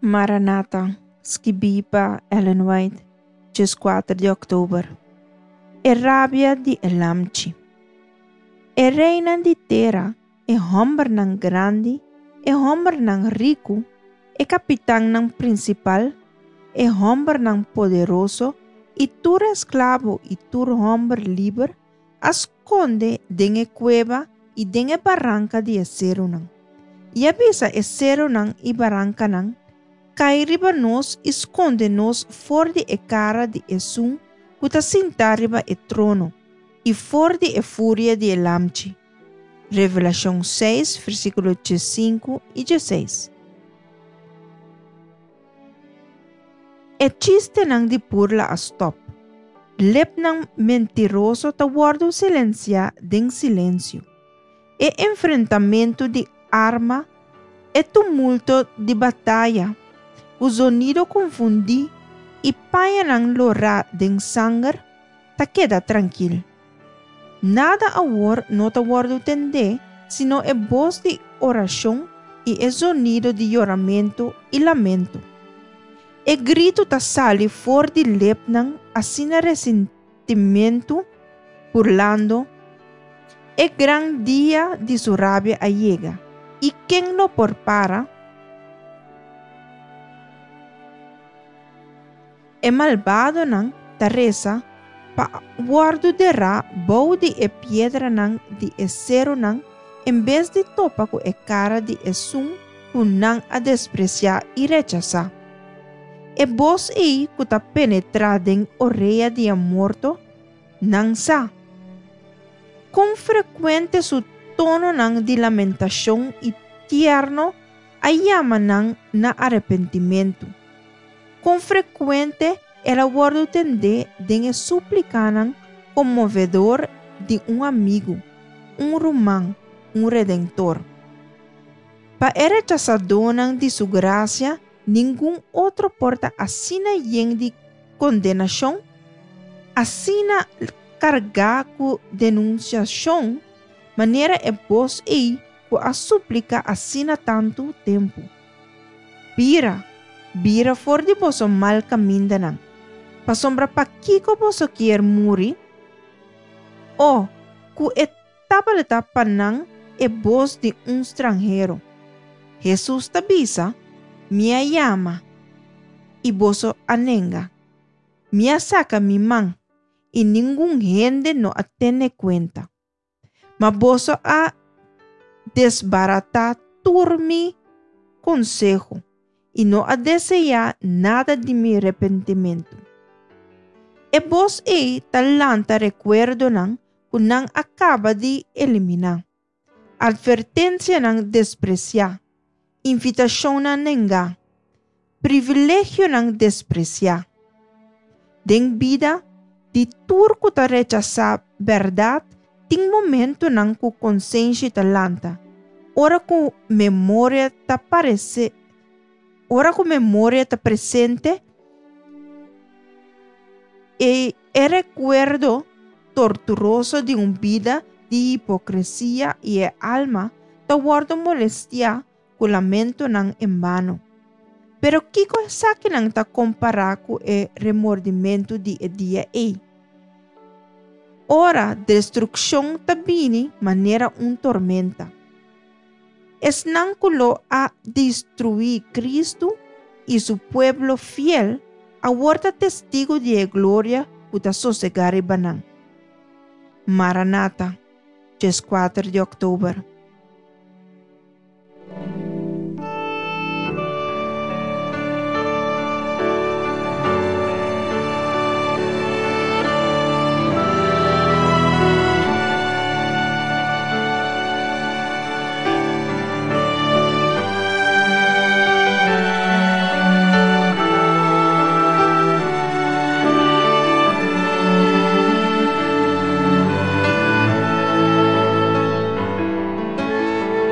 Maranata, skibí pa Ellen White, 14 di òktober. E rabia di e Lamchi. E reinan di tera, e hòmbernan grandi, e hòmbernan riku, e kapitannan prinsipal, e hòmbernan poderoso i tur esklabo i tur hòmber liber a skonde den e kueba i den e baranka di e serunan. I a bisa e serunan i barankanan, Kai riba nos i skonde nos for di e kara di Esun ku ta sintá riba e trono i for di e furia di e Lamchi. Revelashon seis, versíkulo diesinku i dieseis. E chistenan di burla a stòp. Lepnan mentiroso ta wòrdu silensiá den silensio. E enfrentamentu di arma, e tumulto di bataya, ku zonido konfundí i pañanan lorá den sanger, ta keda trankil. Nada awor no ta wòrdu tendé sino e bos di orashon i e zonido di yoramentu i lamento. E gritu ta sali for di lepnan asina resentimentu, burlando, E gran dia di su rabia a yega, i ken lo por para? E malbadonan ta resa pa wòrdu derá bou di e piedranan di e serunan en bes di topa ku e kara di esun ku nan a despresiá i rechasá. E bos ei ku ta penetrá den orea di e morto, nan sa. Kon frekuente su tononan di lamentashon i tierno a yama nan na arepentimentu! Kon frekuente el a wòrdu tendé den e súplikanan konmovedor di un amigu, un ruman, un Redentor! Pa e rechasadónan di su grasia, ningun otro por ta asina yen di kondenashon, asina kargá ku denunsiashon, manera e bos ei ku a supliká asina tantu tempu, Bira, bira for di boso mal kamindanan, pasobra pakiko boso kier muri? O, ku e Tabata pa nan e bos di un stranhero. Hesus ta bisa, Mi a yama, i boso a nenga. Mi a saka mi man, i ningun hende no a tene kuenta. Ma boso a desbaratá tur mi konseho i no a deseá nada di mi repentimentu. E bos ei ta lanta rekuerdonan ku nan a kaba di eliminá, atvertensianan despresiá, invitashonnan nengá, privilegionan despresiá. Den bida di tur ku ta rechasá bèrdat tin momentunan ku konsenshi ta lanta, ora ku memoria ta parese ora ku memoria ta presente e e rekuerdo torturoso di un bida di hipokresia i e alma ta wòrdu molestiá ku lamentonan en bano. Pero kiko esakinan ta kompará ku e remordimentu di e dia ei? Ora destrukshon ta bini manera un tormenta. Esnan ku lo a destruí Kristu i su pueblo fiel awor ta testigu di e gloria ku ta sosegá riba nan. Maranata, 14 di òktober.